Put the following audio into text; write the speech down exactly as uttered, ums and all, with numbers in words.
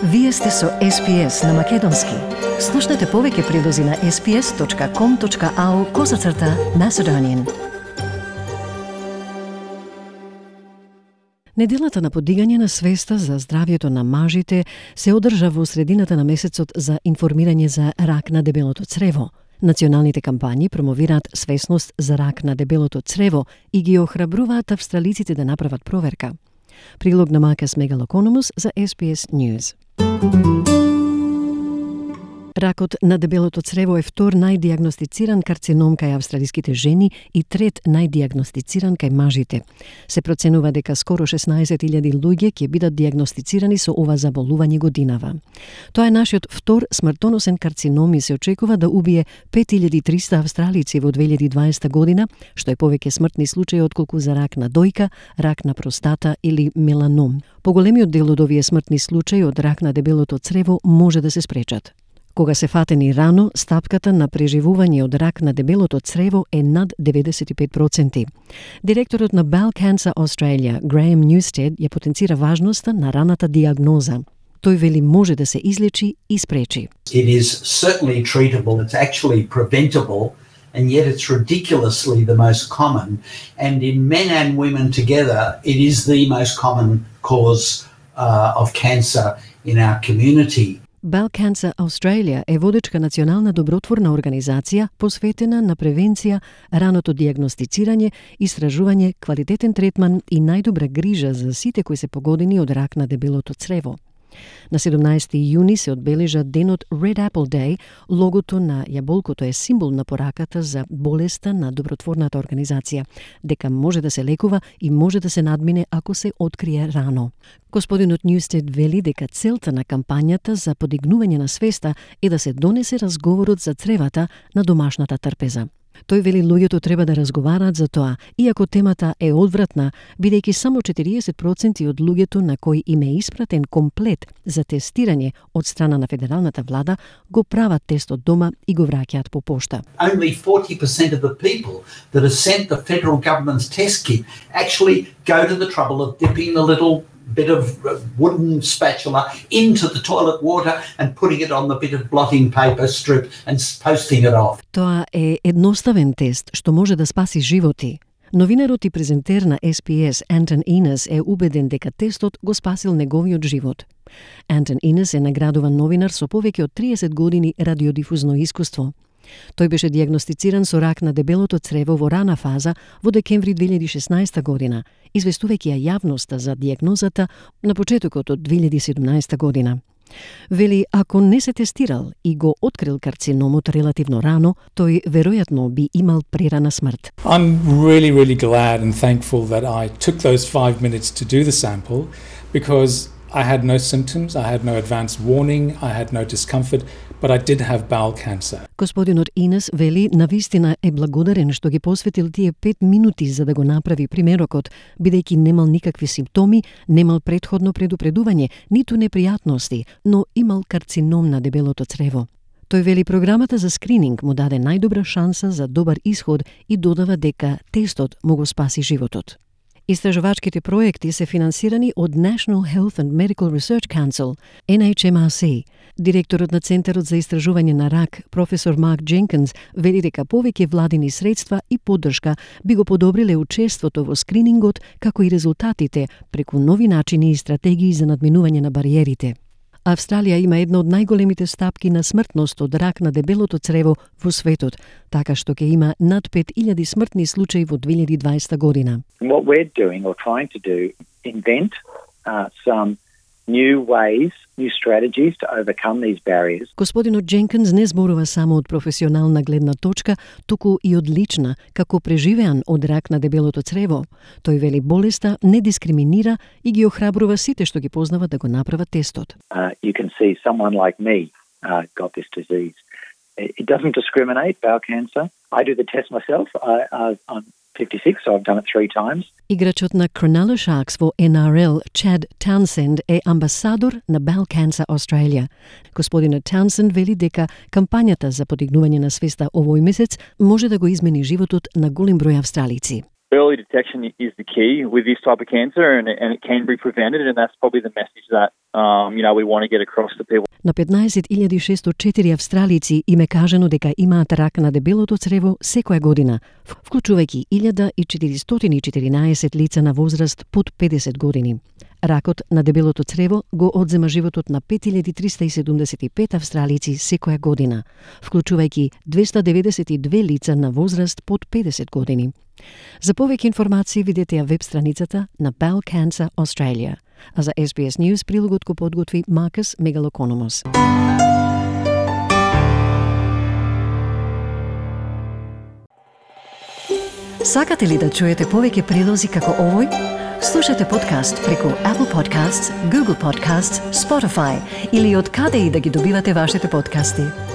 Вие сте со Ес Би Ес на Македонски. Слушнете повеќе прилози на ес би ес точка ком точка ау козацрта Macedonian. Неделата на подигање на свеста за здравјето на мажите се одржа во средината на месецот за информирање за рак на дебелото црево. Националните кампањи промовираат свесност за рак на дебелото црево и ги охрабруваат австралиците да направат проверка. Прилог на Макас Мегалокономус за Ес Би Ес News. Ракот на дебелото црево е втор најдиагностициран карцином кај австралиските жени и трет најдиагностициран кај мажите. Се проценува дека скоро шеснаесет илјади луѓе ќе бидат диагностицирани со ова заболување годинава. Тоа е нашиот втор смртоносен карцином и се очекува да убие пет илјади и триста австралици во две илјади и дваесета година, што е повеќе смртни случаи отколку за рак на дојка, рак на простата или меланом. Поголемиот дел од овие смртни случаи од рак на дебелото црево може да се спречат. Кога се фатени рано, стапката на преживување од рак на дебелото црево е над деветдесет и пет проценти. Директорот на Bowel Cancer Australia, Graham Newstead, ја потенцира важноста на раната диагноза. Тој вели може да се излечи и спречи. It is certainly treatable, it's actually preventable, and yet it's ridiculously the most common. And in men and women together, it is the most common cause uh, of cancer in our community. Bowel Cancer Australia е водечка национална добротворна организација посветена на превенција, раното диагностицирање, истражување, квалитетен третман и најдобра грижа за сите кои се погодени од рак на дебелото црево. На седумнаесети јуни се одбележа денот Red Apple Day. Логото на јаболкото е символ на пораката за болеста на добротворната организација, дека може да се лекува и може да се надмине ако се открие рано. Господинот Ньюстед вели дека целта на кампањата за подигнување на свеста е да се донесе разговорот за цревата на домашната трпеза. Тој вели луѓето треба да разговараат за тоа, иако темата е одвратна, бидејќи само четириесет проценти од луѓето на кои им е испратен комплет за тестирање од страна на федералната влада го прават тестот дома и го враќаат по пошта. Only forty percent of the people that are sent the federal government's test kit actually go to the trouble of dipping a little bit of wooden spatula into the toilet water and putting it on the bit of blotting paper strip and posting it off. Тоа е едноставен тест што може да спаси животи. Новинарот и презентер на Ес Би Ес Антон Инес е убеден дека тестот го спасил неговиот живот. Антон Инес е наградуван новинар со повеќе од триесет години радиодифузно искуство. Тој беше диагностициран со рак на дебелото црево во рана фаза во декември две илјади и шеснаесета година, известувајќи ја јавноста за диагнозата на почетокот од две илјади и седумнаесета година. Вели, ако не се тестирал и го открил карциномот релативно рано, тој веројатно би имал прерана смрт. I'm really, really glad and thankful that I took those five minutes to do the sample because I had no symptoms, I had no advanced warning, I had no discomfort, but I did have bowel cancer. Господинот Инес вели навистина е благодарен што ги посветил тие пет минути за да го направи примерокот, бидејќи немал никакви симптоми, немал претходно предупредување, ниту непријатности, но имал карцином на дебелото црево. Тој вели програмата за скрининг му даде најдобра шанса за добар исход и додава дека тестот му го спаси животот. Истражувачките проекти се финансирани од National Health and Medical Research Council, Ен Ейч Ем Ар Си. Директорот на Центарот за истражување на рак, професор Марк Дженкинс, вели дека повеќе владини средства и поддршка би го подобриле учеството во скринингот, како и резултатите преку нови начини и стратегии за надминување на бариерите. Австралија има една од најголемите стапки на смртност од рак на дебелото црево во светот, така што ќе има над пет илјади смртни случаи во две илјади и дваесета година. What we're doing or trying to do, invent uh, some new ways, new strategies to overcome these barriers. Господинот Дженкинс не зборува само од професионална гледна точка, туку и од лична, како преживеан од рак на дебелото црево. Тој вели болеста не дискриминира и ги охрабрува сите што ги познават да го направат тестот. Uh, you can see someone like me uh, got this disease. It doesn't discriminate, bowel cancer. I do the test myself. I, I, I'm fifty-six, so I've done it three times. Играчот на Cronulla Sharks во Ен Ар Ел, Чад Таунсенд, е амбасадор на Bowel Cancer Australia. Господинот Таунсенд вели дека кампањата за подигнување на свеста овој месец може да го измени животот на голем број австралици. Early detection is the key with this type of cancer, and, and it can be prevented, and that's probably the message that Um, you know, we want to get across to people. На петнаесет илјади шестоста и четири австралици им е кажано дека имаат рак на дебелото црево секоја година, вклучувајќи илјада четиристотини и четиринаесет лица на возраст под педесет години. Ракот на дебелото црево го одзема животот на пет илјади триста и седумдесет и пет австралици секоја година, вклучувајќи двеста деветдесет и две лица на возраст под педесет години. За повеќе информации видете ја веб страницата на Bowel Cancer Australia. А за Ес Би Ес News прилогот го подготви Маркус Мегалокономос. Сакате ли да чуете повеќе прилози како овој? Слушате подкаст преку Apple Podcasts, Google Podcasts, Spotify или од каде и да ги добивате вашите подкасти.